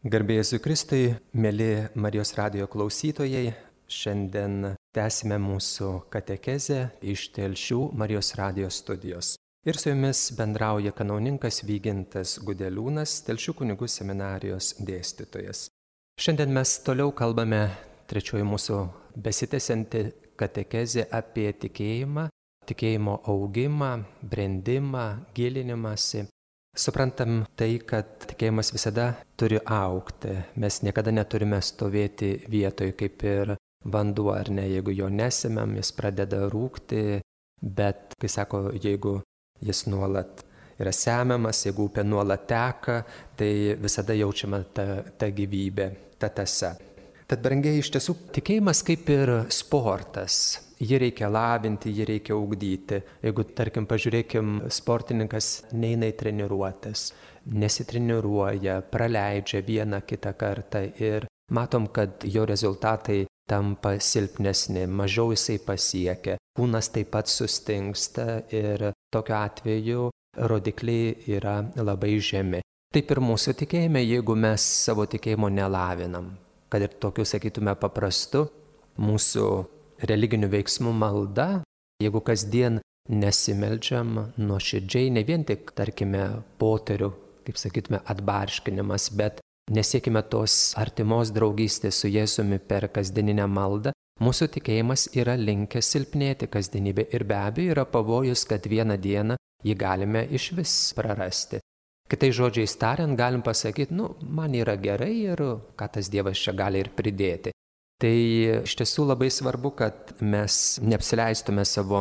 Garbė Jėzui Kristui, mėly Marijos radijo klausytojai, šiandien tęsime mūsų katekezę iš Telšių Marijos radijo studijos. Ir su jumis bendrauja kanauninkas Vygintas Gudeliūnas, Telšių kunigų seminarijos dėstytojas. Šiandien mes toliau kalbame trečioji mūsų besitęsianti katekezė apie tikėjimą, tikėjimo augimą, brendimą, gilinimąsi. Suprantam tai, kad tikėjimas visada turi augti. Mes niekada neturime stovėti vietoje kaip ir vanduo, ar ne? Jeigu jo nesemėm, jis pradeda rūgti, bet, kai sako, jeigu jis nuolat yra semiamas, jeigu upė nuolat teka, tai visada jaučiama ta gyvybė, ta tąsa. Tad, brangiai, iš tiesų, tikėjimas kaip ir sportas. Jį reikia lavinti, jį reikia ugdyti. Jeigu, tarkim, pažiūrėkim, sportininkas neina į treniruotes, nesitreniruoja, praleidžia vieną kitą kartą ir matom, kad jo rezultatai tampa silpnesni, mažiau jisai pasiekia, kūnas taip pat sustingsta ir tokiu atveju rodikliai yra labai žemi. Taip ir mūsų tikėjime, jeigu mes savo tikėjimo nelavinam, kad ir tokiu, sakytume, paprastu mūsų religinių veiksmų malda, jeigu kasdien nesimeldžiam nuoširdžiai, ne vien tik, tarkime, poterių, kaip sakytume, atbarškinimas, bet nesiekime tos artimos draugystės su Jėzumi per kasdieninę maldą, mūsų tikėjimas yra linkęs silpnėti kasdienybė ir be abejo yra pavojus, kad vieną dieną jį galime išvis prarasti. Kitais žodžiais tariant, galim pasakyti, man yra gerai ir ką tas Dievas čia gali ir pridėti. Tai iš tiesų labai svarbu, kad mes neapsileistume savo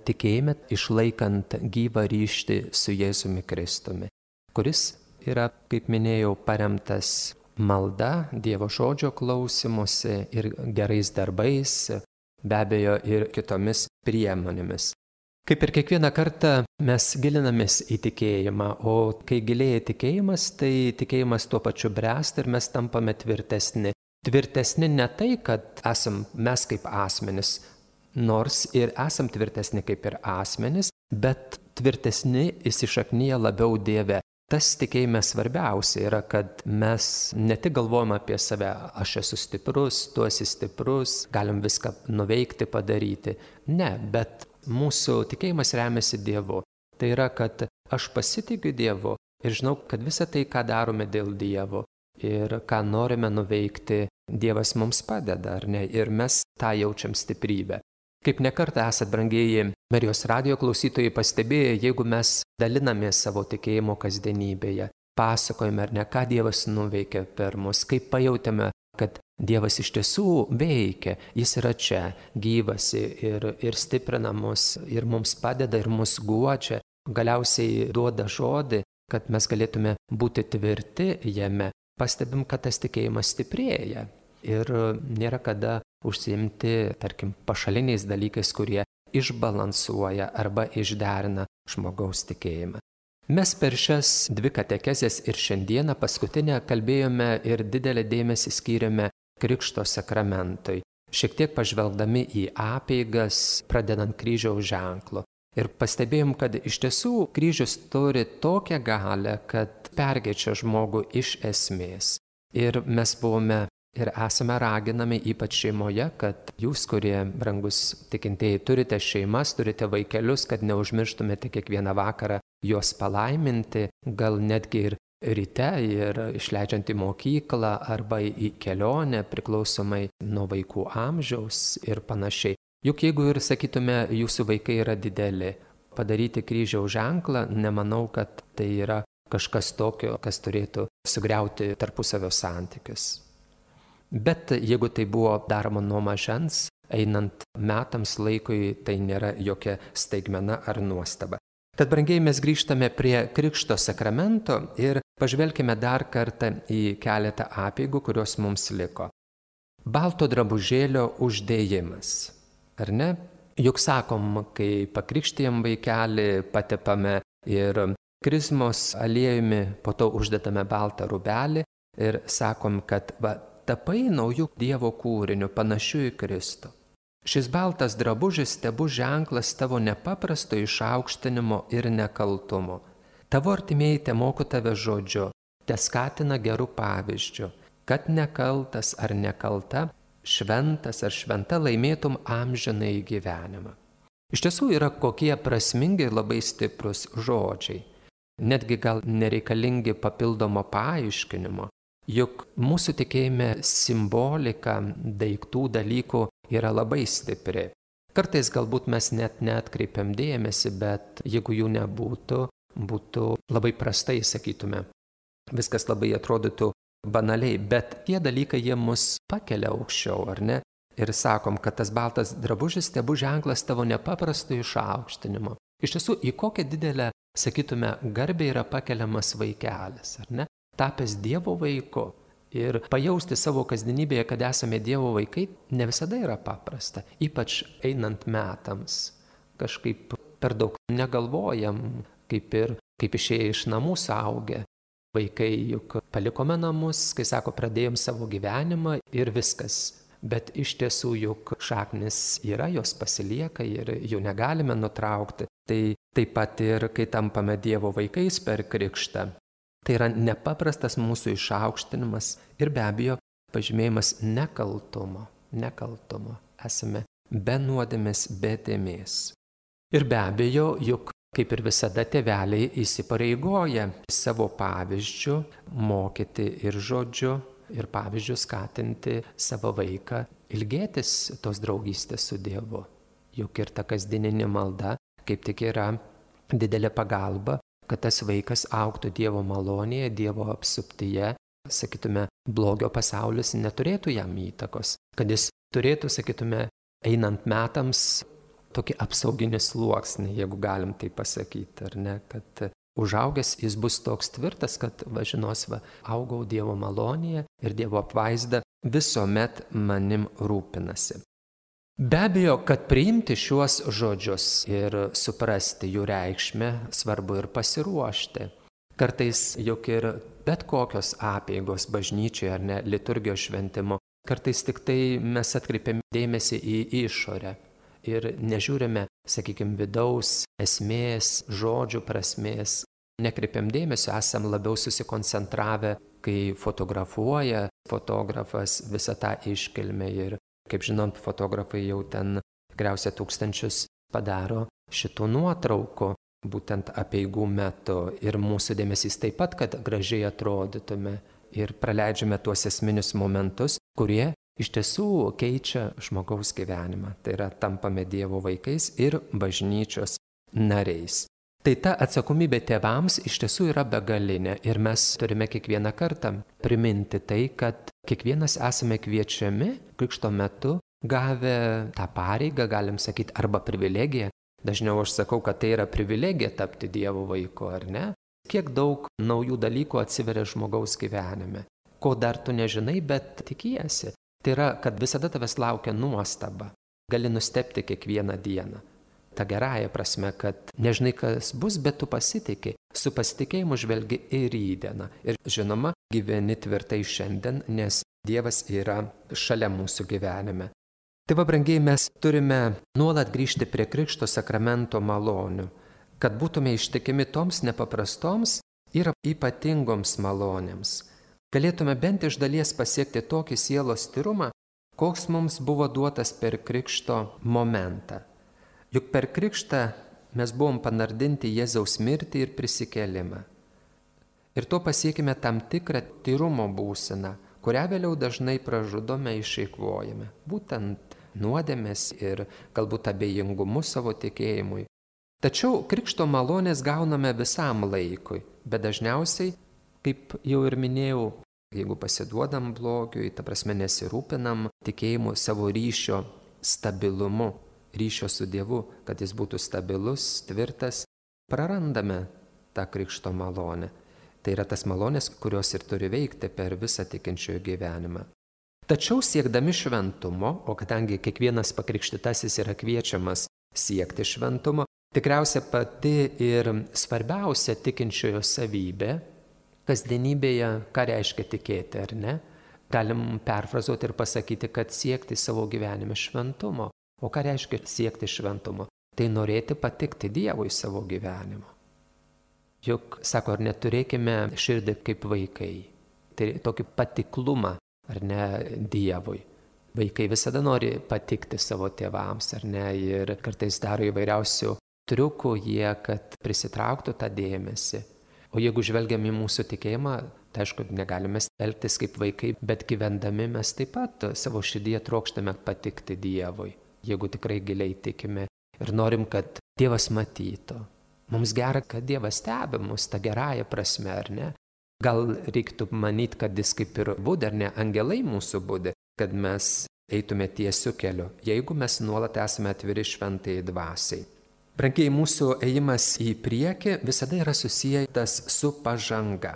tikėjime, išlaikant gyvą ryšį su Jėzumi Kristumi, kuris yra, kaip minėjau, paremtas malda, Dievo žodžio klausymusi ir gerais darbais, be abejo ir kitomis priemonėmis. Kaip ir kiekvieną kartą mes gilinamės į tikėjimą, o kai gilėja tikėjimas, tai tikėjimas tuo pačiu bręsta ir mes tampame tvirtesni. Tvirtesni ne tai, kad esam mes kaip asmenys, nors ir esam tvirtesni kaip ir asmenys, bet tvirtesni įsišaknyja labiau Dieve. Tas tikėjime svarbiausia yra, kad mes ne tik galvojame apie save, aš esu stiprus, tu esi stiprus, galim viską nuveikti, padaryti. Ne, bet mūsų tikėjimas remiasi Dievu. Tai yra, kad aš pasitikiu Dievu ir žinau, kad visą tai, ką darome dėl Dievo ir ką norime nuveikti, Dievas mums padeda, ar ne? Ir mes tą jaučiam stiprybę. Kaip nekartą esat, brangieji Marijos radijo klausytojai, pastebėję, jeigu mes dalinamės savo tikėjimo kasdienybėje, pasakojame, ar ne, ką Dievas nuveikė per mus, kaip pajautėme, kad Dievas iš tiesų veikia, jis yra čia, gyvas ir stiprina mus, ir mums padeda, ir mus guodžia, galiausiai duoda žodį, kad mes galėtume būti tvirti jame. Pastebim, kad tas tikėjimas stiprėja ir nėra kada užsiimti, tarkim, pašaliniais dalykais, kurie išbalansuoja arba išderina žmogaus tikėjimą. Mes per šias dvi katekezes ir šiandieną paskutinę kalbėjome ir didelį dėmesį skyrėme Krikšto sakramentui, šiek tiek pažvelgdami į apeigas, pradedant kryžiaus ženklu. Ir pastebėjom, kad iš tiesų kryžius turi tokią galią, kad perkeičia žmogų iš esmės. Ir mes buvome ir esame raginami, ypač šeimoje, kad jūs, kurie, brangus tikintieji, turite šeimas, turite vaikelius, kad neužmirštumėte kiekvieną vakarą juos palaiminti, gal netgi ir ryte ir išleidžiant į mokyklą arba į kelionę, priklausomai nuo vaikų amžiaus ir panašiai. Juk jeigu ir, sakytume, jūsų vaikai yra dideli, padaryti kryžiaus ženklą, nemanau, kad tai yra kažkas tokio, kas turėtų sugriauti tarpusavio santykius. Bet jeigu tai buvo daroma nuo mažens, einant metams laikui, tai nėra jokia staigmena ar nuostaba. Tad, brangiai, mes grįžtame prie Krikšto sakramento ir pažvelkime dar kartą į keletą apeigų, kurios mums liko. Balto drabužėlio uždėjimas. Ar ne? Juk sakom, kai pakrikštijam vaikelį, patepame ir krizmos aliejumi, po to uždedame baltą rūbelį ir sakom, kad tapai naujų Dievo kūrinių, panašių į Kristų. Šis baltas drabužis tebus ženklas tavo nepaprasto išaukštinimo ir nekaltumo. Tavo artimieji temoko tave žodžiu, teskatina gerų pavyzdžių, kad nekaltas ar nekalta, šventas ar šventa laimėtum amžinąjį gyvenimą. Iš tiesų yra kokie prasmingi ir labai stiprus žodžiai. Netgi gal nereikalingi papildomo paaiškinimo, juk mūsų tikėjime simbolika daiktų, dalykų yra labai stipri. Kartais galbūt mes net neatkreipiam dėmesį, bet jeigu jų nebūtų, būtų labai prastai, sakytume. Viskas labai atrodytų banaliai, bet tie dalykai jie mus pakelia aukščiau, ar ne? Ir sakom, kad tas baltas drabužis tebu ženklas tavo nepaprasto išaukštinimo. Iš tiesų, į kokią didelę, sakytume, garbę yra pakeliamas vaikelis, ar ne? Tapęs Dievo vaiku ir pajausti savo kasdienybėje, kad esame Dievo vaikai, ne visada yra paprasta, ypač einant metams. Kažkaip per daug negalvojam, kaip išėję iš namų suaugę. Vaikai juk palikome namus, kai sako, pradėjom savo gyvenimą ir viskas. Bet iš tiesų juk šaknis yra, jos pasilieka ir jų negalime nutraukti. Tai taip pat ir kai tampame Dievo vaikais per krikštą. Tai yra nepaprastas mūsų išaukštinimas ir be abejo pažymėjimas nekaltumo. Esame be nuodėmės, be dėmės. Ir be abejo, juk kaip ir visada tėveliai įsipareigoja savo pavyzdžių mokyti ir žodžiu, ir pavyzdžių skatinti savo vaiką ilgėtis tos draugystės su Dievu. Juk ir ta kasdieninė malda kaip tik yra didelė pagalba, kad tas vaikas augtų Dievo malonėje, Dievo apsuptyje, sakytume, blogio pasaulis neturėtų jam įtakos, kad jis turėtų, sakytume, einant metams tokį apsauginį sluoksnį, jeigu galim tai pasakyti, ar ne, kad užaugęs jis bus toks tvirtas, kad žinos, augau Dievo malonėje ir Dievo apvaizda visuomet manim rūpinasi. Be abejo, kad priimti šiuos žodžius ir suprasti jų reikšmę, svarbu ir pasiruošti. Kartais juk ir bet kokios apeigos bažnyčioje ar ne, liturgijos šventimo, kartais tik tai mes atkreipiam dėmesį į išorę ir nežiūrime, sakykime, vidaus esmės, žodžių prasmės. Nekreipiam dėmesio, esam labiau susikoncentravę, kai fotografuoja fotografas visą tą iškilmę ir, kaip žinom, fotografai jau ten tikriausiai tūkstančius padaro šitų nuotraukų, būtent apeigų metu. Ir mūsų dėmesys taip pat, kad gražiai atrodytume ir praleidžiame tuos esminius momentus, kurie iš tiesų keičia žmogaus gyvenimą. Tai yra, tampame Dievo vaikais ir bažnyčios nariais. Tai ta atsakomybė tėvams iš tiesų yra begalinė ir mes turime kiekvieną kartą priminti tai, kad kiekvienas esame kviečiami krikšto metu gavę tą pareigą, galim sakyti, arba privilegiją. Dažniau aš sakau, kad tai yra privilegija tapti Dievo vaiku, ar ne? Kiek daug naujų dalykų atsiveria žmogaus gyvenime, ko dar tu nežinai, bet tikiesi. Tai yra, kad visada tavęs laukia nuostaba. Gali nustebti kiekvieną dieną. Ta gerąja prasme, kad nežinai, kas bus, bet tu pasitikė. Su pasitikėjimu žvelgi į rytdieną. Ir žinoma, gyveni tvirtai šiandien, nes Dievas yra šalia mūsų gyvenime. Tai va, brangiai, mes turime nuolat grįžti prie Krikšto sakramento malonių, kad būtume ištikimi toms nepaprastoms ir ypatingoms malonėms. Galėtume bent iš dalies pasiekti tokį sielos tyrumą, koks mums buvo duotas per Krikšto momentą. Juk per Krikštą mes buvom panardinti Jėzaus mirtį ir prisikėlimą. Ir to pasiekime tam tikrą tyrumo būseną, kurią vėliau dažnai pražudome, išeikvojame. Būtent nuodėmės ir galbūt abejingumu savo tikėjimui. Tačiau Krikšto malonės gauname visam laikui, bet dažniausiai, kaip jau ir minėjau, jeigu pasiduodam blogiui, ta prasme nesirūpinam tikėjimu savo ryšio stabilumu, ryšio su Dievu, kad jis būtų stabilus, tvirtas, prarandame tą Krikšto malonę. Tai yra tas malonės, kurios ir turi veikti per visą tikinčiojo gyvenimą. Tačiau siekdami šventumo, o kadangi kiekvienas pakrikštytasis yra kviečiamas siekti šventumo, tikriausia pati ir svarbiausia tikinčiojo savybė, kasdienybėje, ką reiškia tikėti, ar ne? Galim perfrazuoti ir pasakyti, kad siekti savo gyvenime šventumo. O ką reiškia siekti šventumo? Tai norėti patikti Dievui savo gyvenimo. Juk, sako, ar neturėkime širdį kaip vaikai. Tai tokį patiklumą, ar ne, Dievui. Vaikai visada nori patikti savo tėvams, ar ne, ir kartais daro įvairiausių triukų jie, kad prisitrauktų tą dėmesį. O jeigu žvelgiam į mūsų tikėjimą, tai aišku, negalime elgtis kaip vaikai, bet gyvendami mes taip pat savo širdyje trokštame patikti Dievui. Jeigu tikrai giliai tikime ir norim, kad Dievas matytų. Mums gera, kad Dievas stebi mus tą gerąją prasme, ar ne? Gal reiktų manyti, kad jis kaip ir būdi, ar ne, angelai mūsų būdi, kad mes eitume tiesiu keliu, jeigu mes nuolat esame atviri šventajai dvasiai. Brangieji, mūsų ėjimas į priekį visada yra susijęs su pažanga.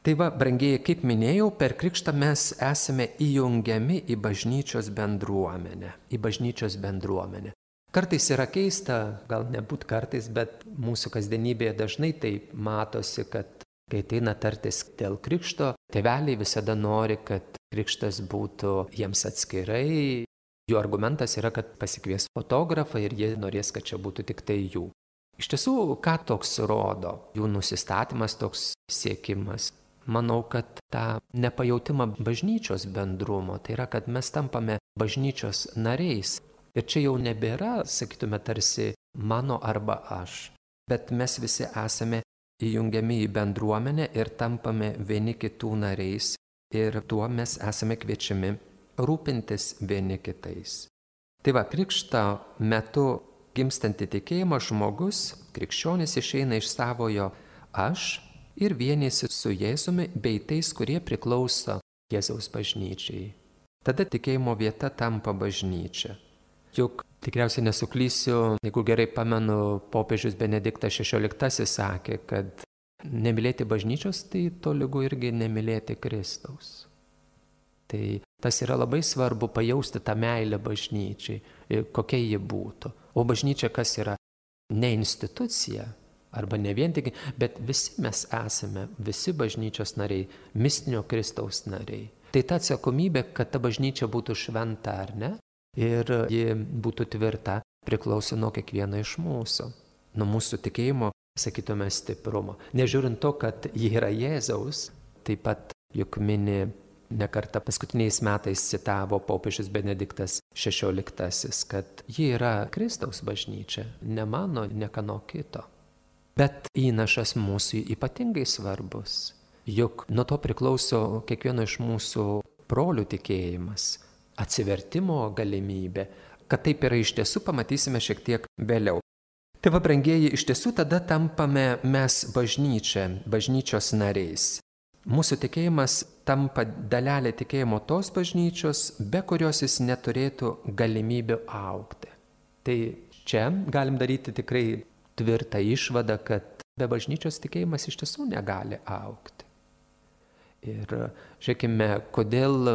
Tai va, brangieji, kaip minėjau, per krikštą mes esame įjungiami į bažnyčios bendruomenę. Kartais yra keista, gal nebūt kartais, bet mūsų kasdienybėje dažnai tai matosi, kad kai ateina tartis dėl krikšto, tėveliai visada nori, kad krikštas būtų jiems atskirai. Jų argumentas yra, kad pasikvies fotografą ir jie norės, kad čia būtų tik tai jų. Iš tiesų, ką toks rodo? Jų nusistatymas, toks siekimas. Manau, kad tą nepajautimą bažnyčios bendrumo, tai yra, kad mes tampame bažnyčios nariais. Ir čia jau nebėra, sakytume, tarsi mano arba aš, bet mes visi esame įjungiami į bendruomenę ir tampame vieni kitų nariais ir tuo mes esame kviečiami rūpintis vieni kitais. Tai va, krikšto metu gimstanti tikėjimo žmogus, krikščionis, išeina iš savojo aš ir vienėsi su Jėzumi bei tais, kurie priklauso Jėzaus bažnyčiai. Tada tikėjimo vieta tampa bažnyčia. Juk tikriausiai nesuklysiu, jeigu gerai pamenu, popiežius Benediktas XVI sakė, kad nemylėti bažnyčios tai tolygu irgi nemylėti Kristaus. Tai tas yra labai svarbu pajausti tą meilę bažnyčiai, kokia ji būtų. O bažnyčia kas yra? Ne institucija, arba ne vien tik, bet visi mes esame, visi bažnyčios nariai, mistinio Kristaus nariai. Tai ta atsakomybė, kad ta bažnyčia būtų šventa ar ne, ir ji būtų tvirta, priklauso nuo kiekvieno iš mūsų, nuo mūsų tikėjimo, sakytume, stiprumo. Nežiūrint to, kad ji yra Jėzaus, taip pat juk mini nekartą paskutiniais metais citavo popiežius Benediktas XVI, kad ji yra Kristaus bažnyčia, ne mano, ne kano kito. Bet įnašas mūsų ypatingai svarbus, juk nuo to priklauso kiekvieno iš mūsų brolių tikėjimas, atsivertimo galimybė. Kad taip yra iš tiesų, pamatysime šiek tiek vėliau. Tai va, brangieji, iš tiesų tada tampame mes bažnyčia, bažnyčios nariais. Mūsų tikėjimas tampa dalelė tikėjimo tos bažnyčios, be kurios jis neturėtų galimybių augti. Tai čia galim daryti tikrai tvirtą išvadą, kad be bažnyčios tikėjimas iš tiesų negali augti. Ir žiūrėkime, kodėl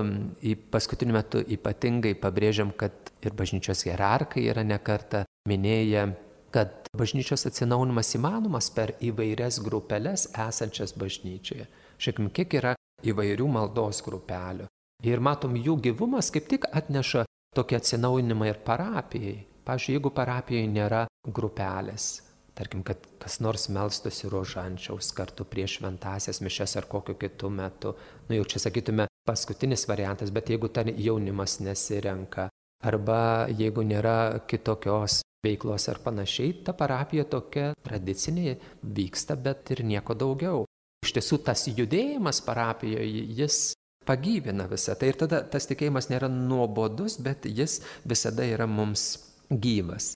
paskutiniu metu ypatingai pabrėžiam, kad ir bažnyčios hierarchai yra nekartą minėję, kad bažnyčios atsinaujinimas įmanomas per įvairias grupeles esančias bažnyčioje. Žiūrėkime, kiek yra įvairių maldos grupelių. Ir matom, jų gyvumas kaip tik atneša tokį atsinaujinimą ir parapijai. Pavyzdžiui, jeigu parapijoje nėra grupelės, tarkim, kad kas nors melstųsi rožančiaus kartu prieš šventąsias mišias ar kokiu kitu metu. Jau čia sakytume paskutinis variantas, bet jeigu ten jaunimas nesirenka, arba jeigu nėra kitokios veiklos ar panašiai, ta parapija tokia tradicinė vyksta, bet ir nieko daugiau. Iš tiesų tas judėjimas parapijoje, jis pagyvina visą tai ir tada tas tikėjimas nėra nuobodus, bet jis visada yra mums gyvas.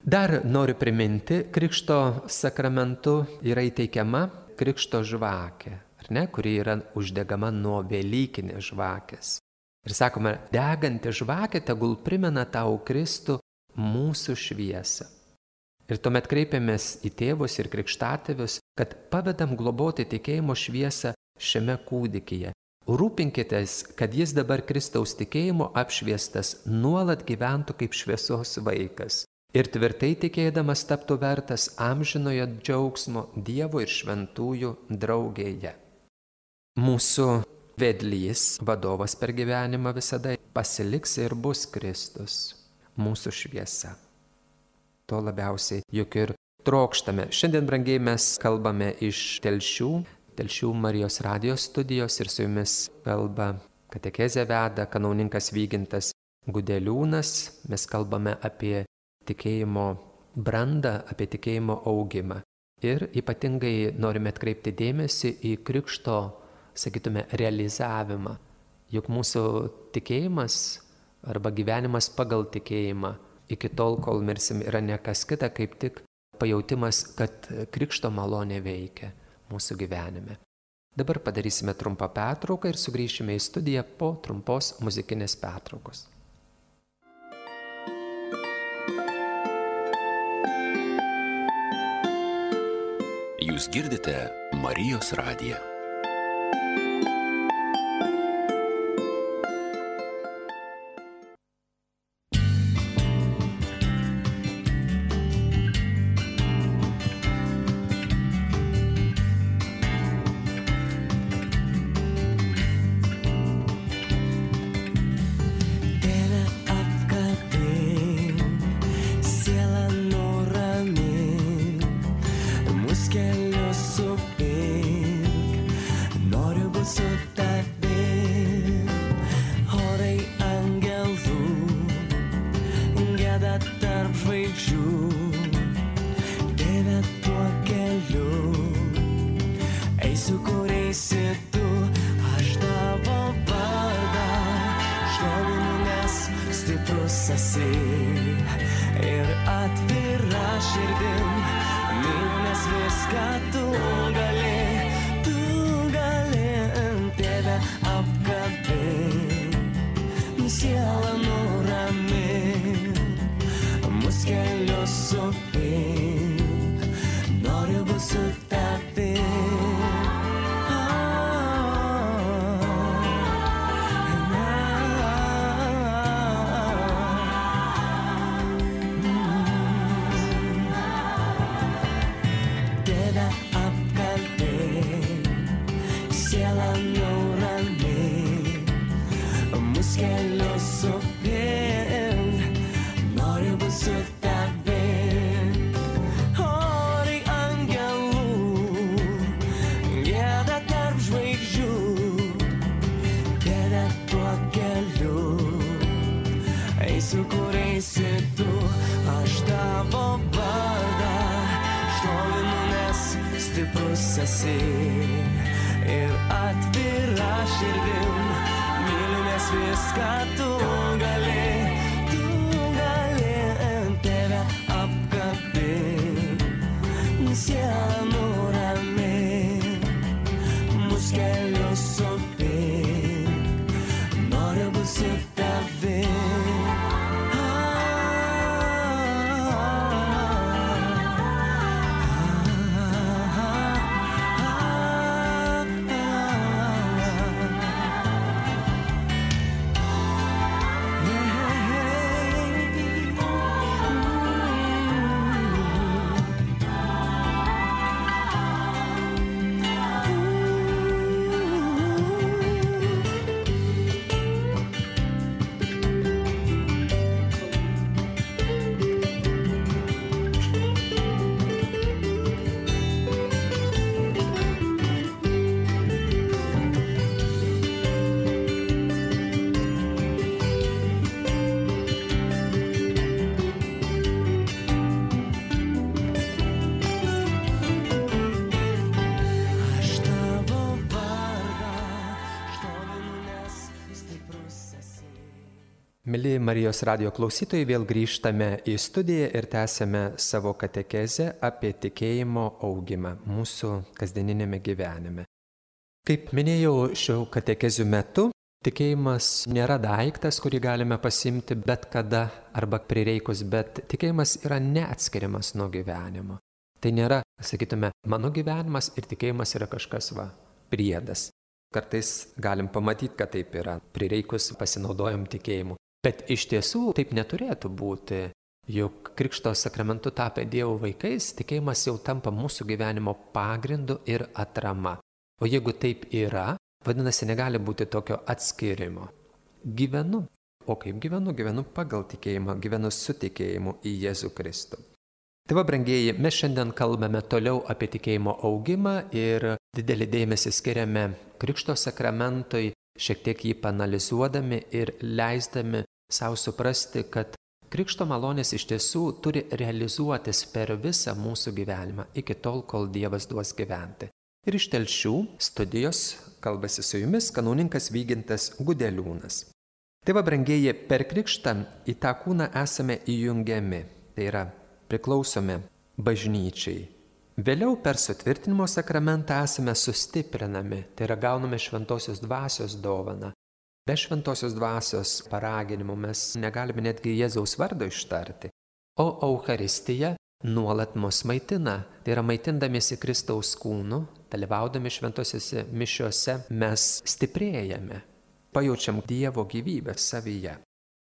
Dar noriu priminti, krikšto sakramentu yra įteikiama krikšto žvakė, ar ne, kuri yra uždegama nuo velykinės žvakės. Ir sakome, deganti žvakė tegul primena tau Kristų mūsų šviesą. Ir tuomet kreipiamės į tėvus ir krikštatėvius, kad pavedam globoti tikėjimo šviesą šiame kūdikyje. Rūpinkitės, kad jis dabar Kristaus tikėjimo apšviestas nuolat gyventų kaip šviesos vaikas. Ir tvirtai tikėdamas taptų vertas amžinojo džiaugsmo Dievo ir šventųjų draugėje. Mūsų vedlys, vadovas per gyvenimą visada pasiliks ir bus Kristus, mūsų šviesa. To labiausiai juk ir trokštame. Šiandien, brangiai, mes kalbame iš Telšių Marijos radijos studijos ir su jumis kalba katekezę veda kanauninkas Vygintas Gudeliūnas. Mes kalbame apie tikėjimo brandą, apie tikėjimo augimą. Ir ypatingai norime atkreipti dėmesį į krikšto, sakytume, realizavimą. Juk mūsų tikėjimas arba gyvenimas pagal tikėjimą iki tol, kol mirsim, yra ne kas kita, kaip tik pajautimas, kad krikšto malonė veikia mūsų gyvenime. Dabar padarysime trumpą pertrauką ir sugrįšime į studiją po trumpos muzikinės pertraukos. Jūs girdite Marijos radiją. Ir atvira širdim, myliu, nes viską tu gali tave apkabint, sielą nuramint, mus kelius supint, noriu būt su tavim. Mili Marijos radijo klausytojai, vėl grįžtame į studiją ir tęsiame savo katekezę apie tikėjimo augimą mūsų kasdieninėme gyvenime. Kaip minėjau šio katekezių metu, tikėjimas nėra daiktas, kurį galime pasimti bet kada arba prireikus, bet tikėjimas yra neatskiriamas nuo gyvenimo. Tai nėra, sakytume, mano gyvenimas ir tikėjimas yra kažkas priedas. Kartais galim pamatyti, kad taip yra, prireikus pasinaudojam tikėjimu. Bet iš tiesų taip neturėtų būti, juk Krikšto sakramentu tapę Dievo vaikais, tikėjimas jau tampa mūsų gyvenimo pagrindu ir atrama. O jeigu taip yra, vadinasi, negali būti tokio atskirimo. Gyvenu. O kaip gyvenu? Gyvenu pagal tikėjimą, gyvenu su tikėjimu į Jėzų Kristų. Tai va, brangieji, mes šiandien kalbame toliau apie tikėjimo augimą ir didelį dėmesį skiriame Krikšto sakramentui, šiek tiek jį panalizuodami ir leisdami savo suprasti, kad Krikšto malonės iš tiesų turi realizuotis per visą mūsų gyvenimą, iki tol, kol Dievas duos gyventi. Ir iš Telšių studijos kalbasi su jumis kanauninkas Vygintas Gudeliūnas. Tai va, brangieji, per krikštą į tą kūną esame įjungiami, tai yra priklausome bažnyčiai. Vėliau per sutvirtinimo sakramentą esame sustiprinami, tai yra gauname šventosios dvasios dovaną. Be šventosios dvasios paraginimų mes negalime netgi Jėzaus vardo ištarti. O Eucharistija nuolat mus maitina, tai yra maitindamiesi Kristaus kūnu, dalyvaudami šventosiose mišiose, mes stiprėjame, pajaučiam Dievo gyvybę savyje.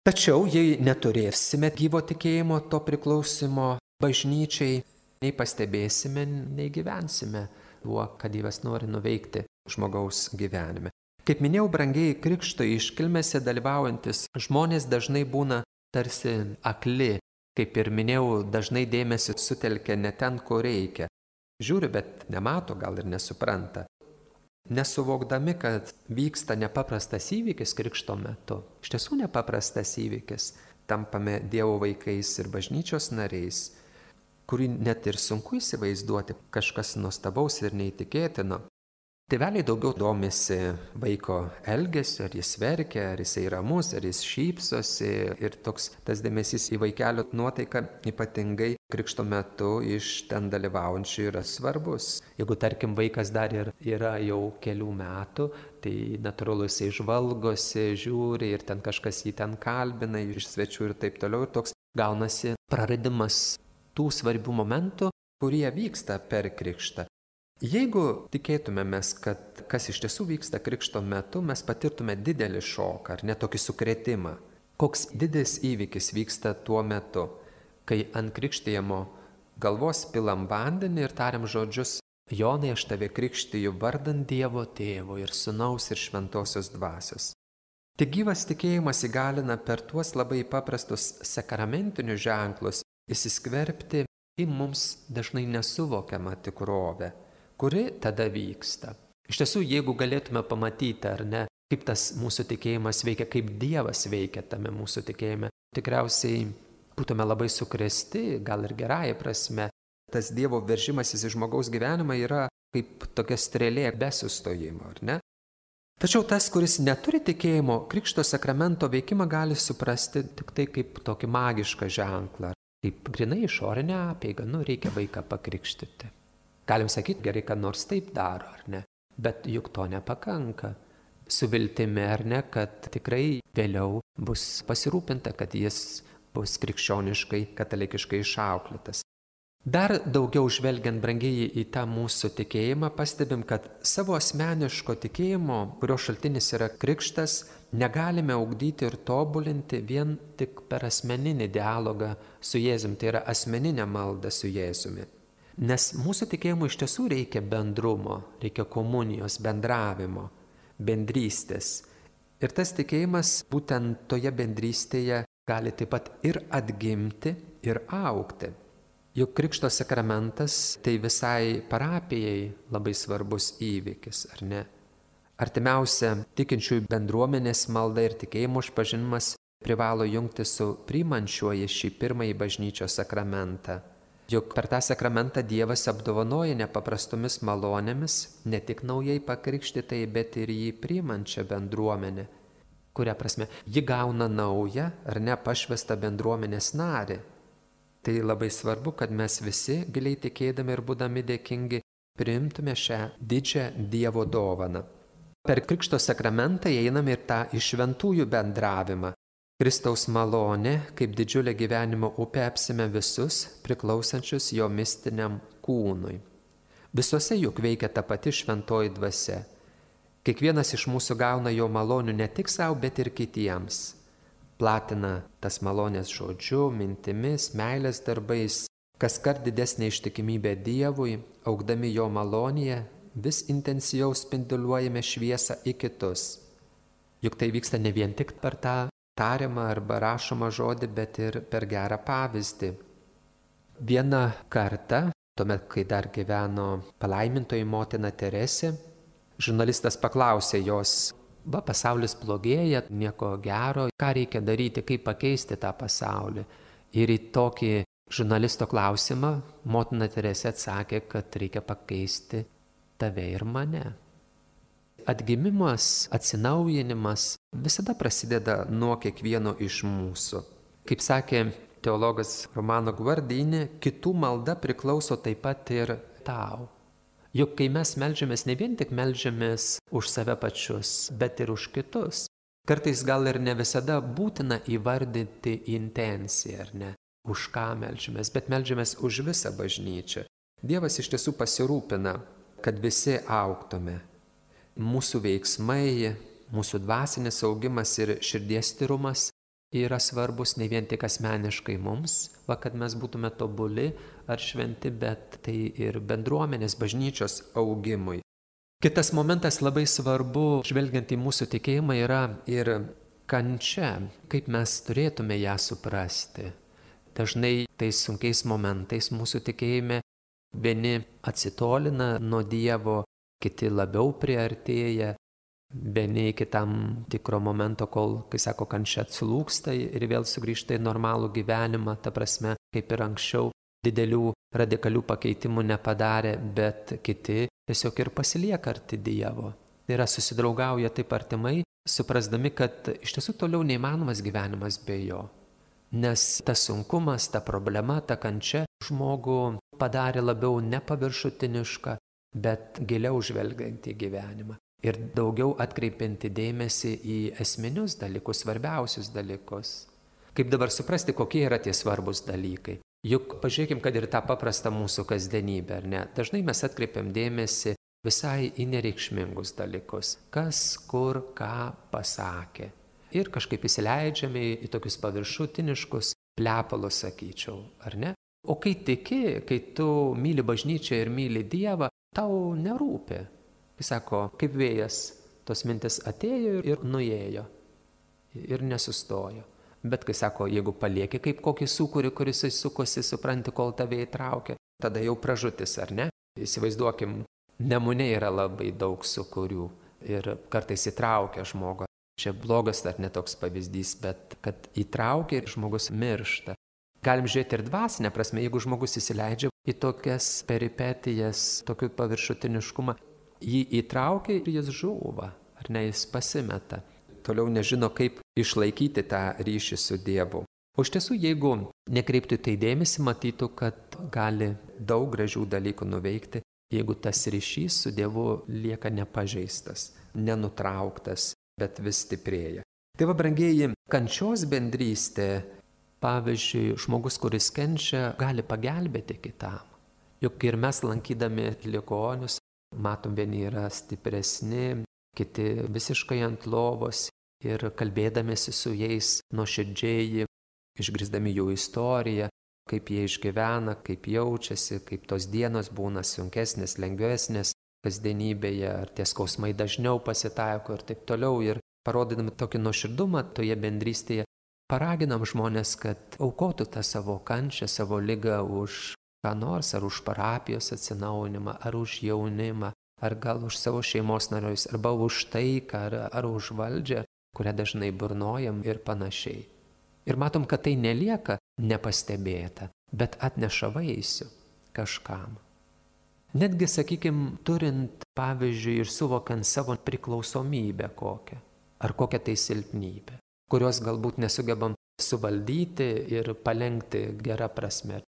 Tačiau jei neturėsime gyvo tikėjimo, to priklausimo bažnyčiai, nei pastebėsime, nei gyvensime tuo, kad Dievas nori nuveikti žmogaus gyvenime. Kaip minėjau, brangieji, krikšto iškilmėse dalyvaujantis žmonės dažnai būna tarsi akli, kaip ir minėjau, dažnai dėmesį sutelkia ne ten, kur reikia. Žiūri, bet nemato, gal ir nesupranta. Nesuvokdami, kad vyksta nepaprastas įvykis krikšto metu, iš tiesų nepaprastas įvykis, tampame Dievo vaikais ir bažnyčios nariais, kurį net ir sunku įsivaizduoti, kažkas nuostabaus ir neįtikėtino. Tėveliai daugiau domisi vaiko elgesiu, ar jis verkia, ar jis ramus, ar jis šypsosi, ir toks tas dėmesys į vaikelio nuotaiką ypatingai krikšto metu iš ten dalyvaujančių yra svarbus. Jeigu, tarkim, vaikas dar yra jau kelių metų, tai natūralu jisai žvalgosi, žiūri ir ten kažkas jį ten kalbina iš svečių ir taip toliau, ir toks gaunasi praradimas tų svarbių momentų, kurie vyksta per krikštą. Jeigu tikėtumėmės, kad kas iš tiesų vyksta krikšto metu, mes patirtume didelį šoką ar net tokį sukrėtimą. Koks didelis įvykis vyksta tuo metu, kai ant krikštijamo galvos pilam vandenį ir tariam žodžius: Jonai, aš tave krikštiju vardant Dievo Tėvo ir Sūnaus ir Šventosios Dvasios. Tik gyvas tikėjimas įgalina per tuos labai paprastus sakramentinius ženklus įsiskverbti į mums dažnai nesuvokiamą tikrovę, kuri tada vyksta. Iš tiesų, jeigu galėtume pamatyti, ar ne, kaip tas mūsų tikėjimas veikia, kaip Dievas veikia tame mūsų tikėjime, tikriausiai būtume labai sukrėsti, gal ir gerąja prasme. Tas Dievo veržimasis į žmogaus gyvenimą yra kaip tokia strėlė be sustojimo, ar ne? Tačiau tas, kuris neturi tikėjimo, Krikšto sakramento veikimą gali suprasti tik tai kaip tokį magišką ženklą, kaip grinai išorinę apeigą, reikia vaiką pakrikštyti. Galim sakyti, gerai, kad nors taip daro, ar ne? Bet juk to nepakanka. Su viltimi, ar ne, kad tikrai vėliau bus pasirūpinta, kad jis bus krikščioniškai, katalikiškai išauklėtas. Dar daugiau žvelgiant, brangieji, į tą mūsų tikėjimą, pastebim, kad savo asmeniško tikėjimo, kurio šaltinis yra krikštas, negalime ugdyti ir tobulinti vien tik per asmeninį dialogą su Jėzumi, tai yra asmeninę maldą su Jėzumi. Nes mūsų tikėjimui iš tiesų reikia bendrumo, reikia komunijos, bendravimo, bendrystės. Ir tas tikėjimas būtent toje bendrystėje gali taip pat ir atgimti, ir augti. Juk Krikšto sakramentas tai visai parapijai labai svarbus įvykis, ar ne? Artimiausia tikinčiųjų bendruomenės malda ir tikėjimo išpažinimas privalo jungti su priimančiuoju šį pirmąjį bažnyčios sakramentą. Juk per tą sakramentą Dievas apdovanoja nepaprastomis malonėmis ne tik naujai pakrikštytai, bet ir jį priimančią bendruomenę. Kuria prasme, ji gauna naują ar ne pašvestą bendruomenės narį. Tai labai svarbu, kad mes visi giliai tikėdami ir būdami dėkingi priimtume šią didžią Dievo dovaną. Per Krikšto sakramentą einame ir tą iš šventųjų bendravimą. Kristaus malonė, kaip didžiulė gyvenimo upė, apsime visus priklausančius jo mistiniam kūnui. Visuose juk veikia ta pati šventoji dvasia. Kiekvienas iš mūsų gauna jo malonių ne tik savo, bet ir kitiems. Platina tas malonės žodžiu, mintimis, meilės darbais, kaskart didesnė ištikimybė Dievui, augdami jo malonėje, vis intensyviau spinduliuojame šviesą į kitus. Juk tai vyksta ne vien tik per tą tariamą arba rašomą žodį, bet ir per gerą pavyzdį. Vieną kartą, tuomet, kai dar gyveno palaimintoji motina Teresė, žurnalistas paklausė jos, pasaulis blogėja, nieko gero, ką reikia daryti, kaip pakeisti tą pasaulį. Ir į tokį žurnalisto klausimą motina Teresė atsakė, kad reikia pakeisti tave ir mane. Atgimimas, atsinaujinimas visada prasideda nuo kiekvieno iš mūsų. Kaip sakė teologas Romano Guardini, kitų malda priklauso taip pat ir tau. Juk kai mes meldžiamės, ne vien tik meldžiamės už save pačius, bet ir už kitus. Kartais gal ir ne visada būtina įvardinti intenciją, ar ne, už ką meldžiamės, bet meldžiamės už visą bažnyčią. Dievas iš tiesų pasirūpina, kad visi augtume. Mūsų veiksmai, mūsų dvasinis augimas ir širdies tyrumas yra svarbus ne vien tik asmeniškai mums, kad mes būtume tobuli ar šventi, bet tai ir bendruomenės bažnyčios augimui. Kitas momentas labai svarbu, žvelgiant į mūsų tikėjimą, yra ir kančia, kaip mes turėtume ją suprasti. Dažnai tais sunkiais momentais mūsų tikėjime vieni atsitolina nuo Dievo, kiti labiau priartėja, vieni iki tam tikro momento, kol, kai sako, kančia atslūgsta ir vėl sugrįžta į normalų gyvenimą, ta prasme, kaip ir anksčiau, didelių radikalių pakeitimų nepadarė, bet kiti tiesiog ir pasilieka arti Dievo. Tai yra susidraugauja taip artimai, suprasdami, kad iš tiesų toliau neįmanomas gyvenimas be jo. Nes tas sunkumas, ta problema, ta kančia žmogų padarė labiau nepaviršutinišką, bet giliau žvelgiant į gyvenimą. Ir daugiau atkreipianti dėmesį į esminius dalykus, svarbiausius dalykus. Kaip dabar suprasti, kokie yra tie svarbus dalykai? Juk pažiūrėkim, kad ir tą paprastą mūsų kasdienybę, ar ne? Dažnai mes atkreipiam dėmesį visai į nereikšmingus dalykus. Kas, kur, ką pasakė. Ir kažkaip įsileidžiame į tokius paviršutiniškus plepalus, sakyčiau, ar ne? O kai tiki, kai tu myli bažnyčią ir myli Dievą, tau nerūpi. Jis sako, kaip vėjas, tos mintis atėjo ir nuėjo ir nesustojo. Bet kai sako, jeigu palieki kaip kokį sūkurį, kuris sukosi, supranti, kol tave įtraukia, tada jau pražutis, ar ne? Įsivaizduokim, Nemune yra labai daug sūkurių ir kartais įtraukia žmogų. Čia blogas ar netoks pavyzdys, bet kad įtraukia ir žmogus miršta. Galim žiūrėti ir dvasinę prasme, jeigu žmogus įsileidžia į tokias peripetijas, tokį paviršutiniškumą, jį įtraukia ir jis žūva, ar ne, jis pasimeta. Toliau nežino, kaip išlaikyti tą ryšį su Dievu. O iš tiesų, jeigu nekreiptų tai dėmesį, matytų, kad gali daug gražių dalykų nuveikti, jeigu tas ryšys su Dievu lieka nepažeistas, nenutrauktas, bet vis stiprėja. Tai va, brangieji, kančios bendrystė, pavyzdžiui, žmogus, kuris kenčia, gali pagelbėti kitam. Juk ir mes lankydami ligonius, matom, vieni yra stipresni, kiti visiškai ant lovos ir kalbėdamėsi su jais nuoširdžiai, išgirsdami jų istoriją, kaip jie išgyvena, kaip jaučiasi, kaip tos dienos būna sunkesnės, lengvesnės kasdienybėje, ar tie skausmai dažniau pasitaiko ir taip toliau. Ir parodydami tokį nuoširdumą toje bendrystėje, paraginam žmonės, kad aukotų tą savo kančią, savo ligą už ką nors, ar už parapijos atsinaujinimą, ar už jaunimą, ar gal už savo šeimos narius, arba už taiką, ar už valdžią, kurią dažnai burnojam ir panašiai. Ir matom, kad tai nelieka nepastebėta, bet atneša vaisių kažkam. Netgi, sakykime, turint, pavyzdžiui, ir suvokiant savo priklausomybę kokią, ar kokią tai silpnybę, kurios galbūt nesugebam suvaldyti ir palengti gerą prasme.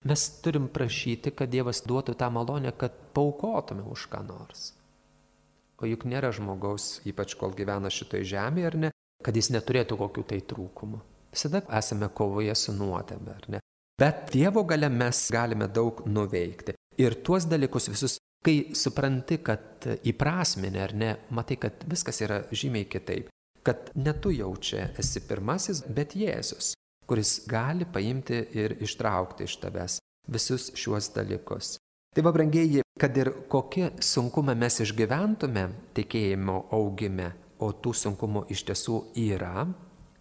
Mes turim prašyti, kad Dievas duotų tą malonę, kad paaukotume už ką nors. O juk nėra žmogaus, ypač kol gyvena šitoj žemėje, ar ne, kad jis neturėtų kokių tai trūkumų. Visada esame kovoje su nuodėme, ar ne? Bet Dievo galia mes galime daug nuveikti. Ir tuos dalykus visus, kai supranti, kad įprasminė, ar ne, matai, kad viskas yra žymiai kitaip. Kad ne tu jau čia esi pirmasis, bet Jėzus, kuris gali paimti ir ištraukti iš tavęs visus šiuos dalykus. Tai va, brangieji, kad ir kokie sunkumai mes išgyventume tikėjimo augime, o tų sunkumų iš tiesų yra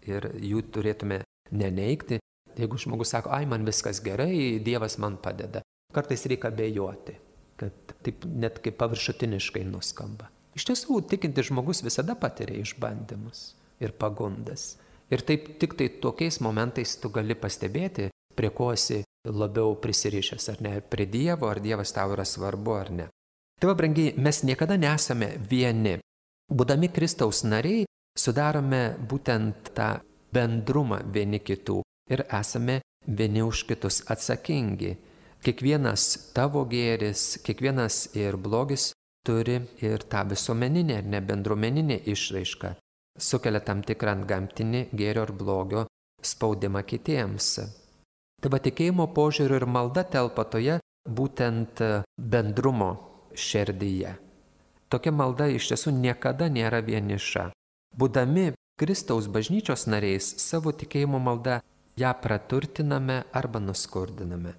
ir jų turėtume neneigti, jeigu žmogus sako, ai, man viskas gerai, Dievas man padeda, kartais reikia abejoti, kad taip net kaip paviršutiniškai nuskamba. Iš tiesų, tikintis žmogus visada patiria išbandymus ir pagundas. Ir taip tik tai tokiais momentais tu gali pastebėti, prie ko esi labiau prisirišęs, ar ne, prie Dievo, ar Dievas tau yra svarbu, ar ne. Tai va, brangiai, mes niekada nesame vieni. Būdami Kristaus nariai, sudarome būtent tą bendrumą vieni kitų ir esame vieni už kitus atsakingi. Kiekvienas tavo gėris, kiekvienas ir blogis turi ir tą visuomeninę ir nebendruomeninę išraišką. Sukelia tam tikrą antgamtinį gėrio ir blogio spaudimą kitiems. Tai va, tikėjimo požiūriu ir malda telpa toje būtent bendrumo širdyje. Tokia malda iš tiesų niekada nėra vieniša. Būdami Kristaus bažnyčios nariais, savo tikėjimo malda ją praturtiname arba nuskurdiname.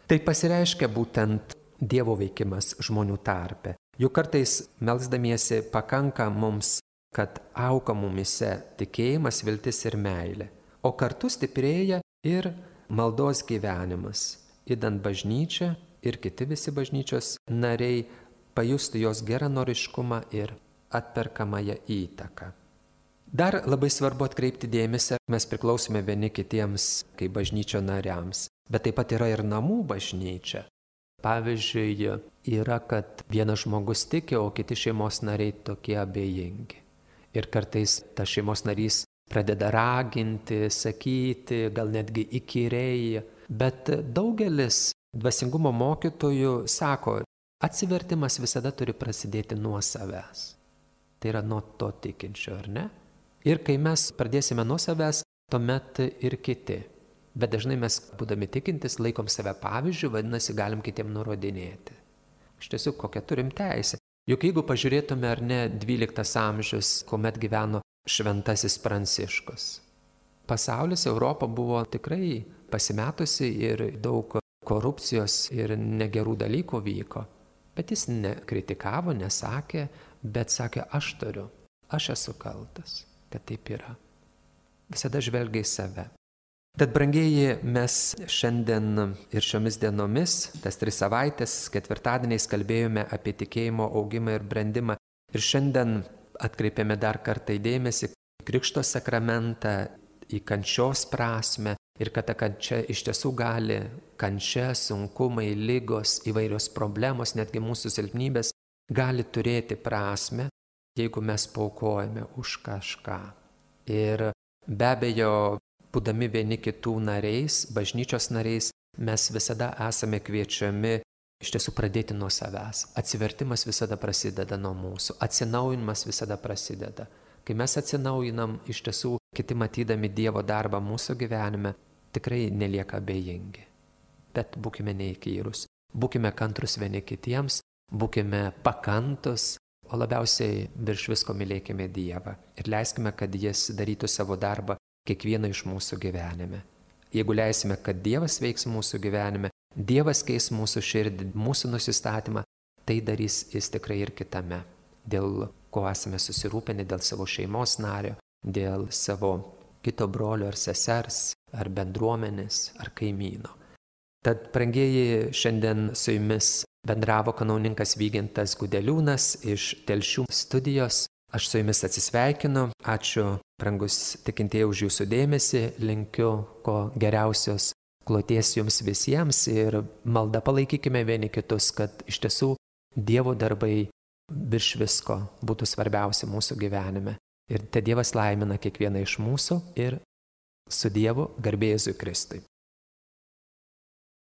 Tai pasireiškia būtent Dievo veikimas žmonių tarpe. Juk kartais melsdamiesi pakanka mums, kad auga mumise tikėjimas, viltis ir meilė, o kartu stiprėja ir maldos gyvenimas, idant bažnyčia ir kiti visi bažnyčios nariai pajustų jos geranoriškumą ir atperkamąją įtaką. Dar labai svarbu atkreipti dėmesį, mes priklausome vieni kitiems kaip bažnyčio nariams, bet taip pat yra ir namų bažnyčia. Pavyzdžiui, yra, kad vienas žmogus tiki, o kiti šeimos nariai tokie abejingi. Ir kartais tas šeimos narys pradeda raginti, sakyti, gal netgi įkyriai, bet daugelis dvasingumo mokytojų sako, atsivertimas visada turi prasidėti nuo savęs. Tai yra nuo to tikinčio, ar ne? Ir kai mes pradėsime nuo savęs, tuomet ir kiti. Bet dažnai mes, būdami tikintis, laikom save pavyzdžių, vadinasi, galim kitiem nurodinėti. Iš tiesų, kokią turim teisę. Juk jeigu pažiūrėtume, ar ne, 12 amžius, kuomet gyveno šventasis Pranciškus. Pasaulis, Europa buvo tikrai pasimetusi ir daug korupcijos ir negerų dalykų vyko. Bet jis nekritikavo, nesakė, bet sakė, aš turiu, aš esu kaltas, kad taip yra. Visada žvelgia į save. Tad, brangieji, mes šiandien ir šiomis dienomis, tas 3 savaitės, ketvirtadieniais kalbėjome apie tikėjimo augimą ir brendimą. Ir šiandien atkreipėme dar kartą dėmesį Krikšto sakramentą, į kančios prasme ir kad ta kančia iš tiesų gali, kančia, sunkumai, ligos, įvairios problemos, netgi mūsų silpnybės, gali turėti prasme, jeigu mes paaukojame už kažką. Ir be abejo, būdami vieni kitų nariais, bažnyčios nariais, mes visada esame kviečiami iš tiesų pradėti nuo savęs. Atsivertimas visada prasideda nuo mūsų, atsinaujinimas visada prasideda. Kai mes atsinaujinam, iš tiesų, kiti matydami Dievo darbą mūsų gyvenime, tikrai nelieka abejingi. Bet būkime neįkyrus, būkime kantrus vieni kitiems, būkime pakantus, o labiausiai virš visko mylėkime Dievą ir leiskime, kad Jis darytų savo darbą kiekvieną iš mūsų gyvenime. Jeigu leisime, kad Dievas veiks mūsų gyvenime, Dievas keis mūsų širdį, mūsų nusistatymą, tai darys Jis tikrai ir kitame. Dėl ko esame susirūpinę, dėl savo šeimos nario, dėl savo kito brolio ar sesers, ar bendruomenės, ar kaimyno. Tad, brangieji, šiandien su jumis bendravo kanauninkas Vygintas Gudeliūnas iš Telšių studijos. Aš su jumis atsisveikinu, ačiū, brangus tikintieji, už jūsų dėmesį, linkiu ko geriausios kloties jums visiems ir malda palaikykime vieni kitus, kad iš tiesų Dievo darbai virš visko būtų svarbiausia mūsų gyvenime. Ir te Dievas laimina kiekvieną iš mūsų ir su Dievu, garbė Jėzui Kristui.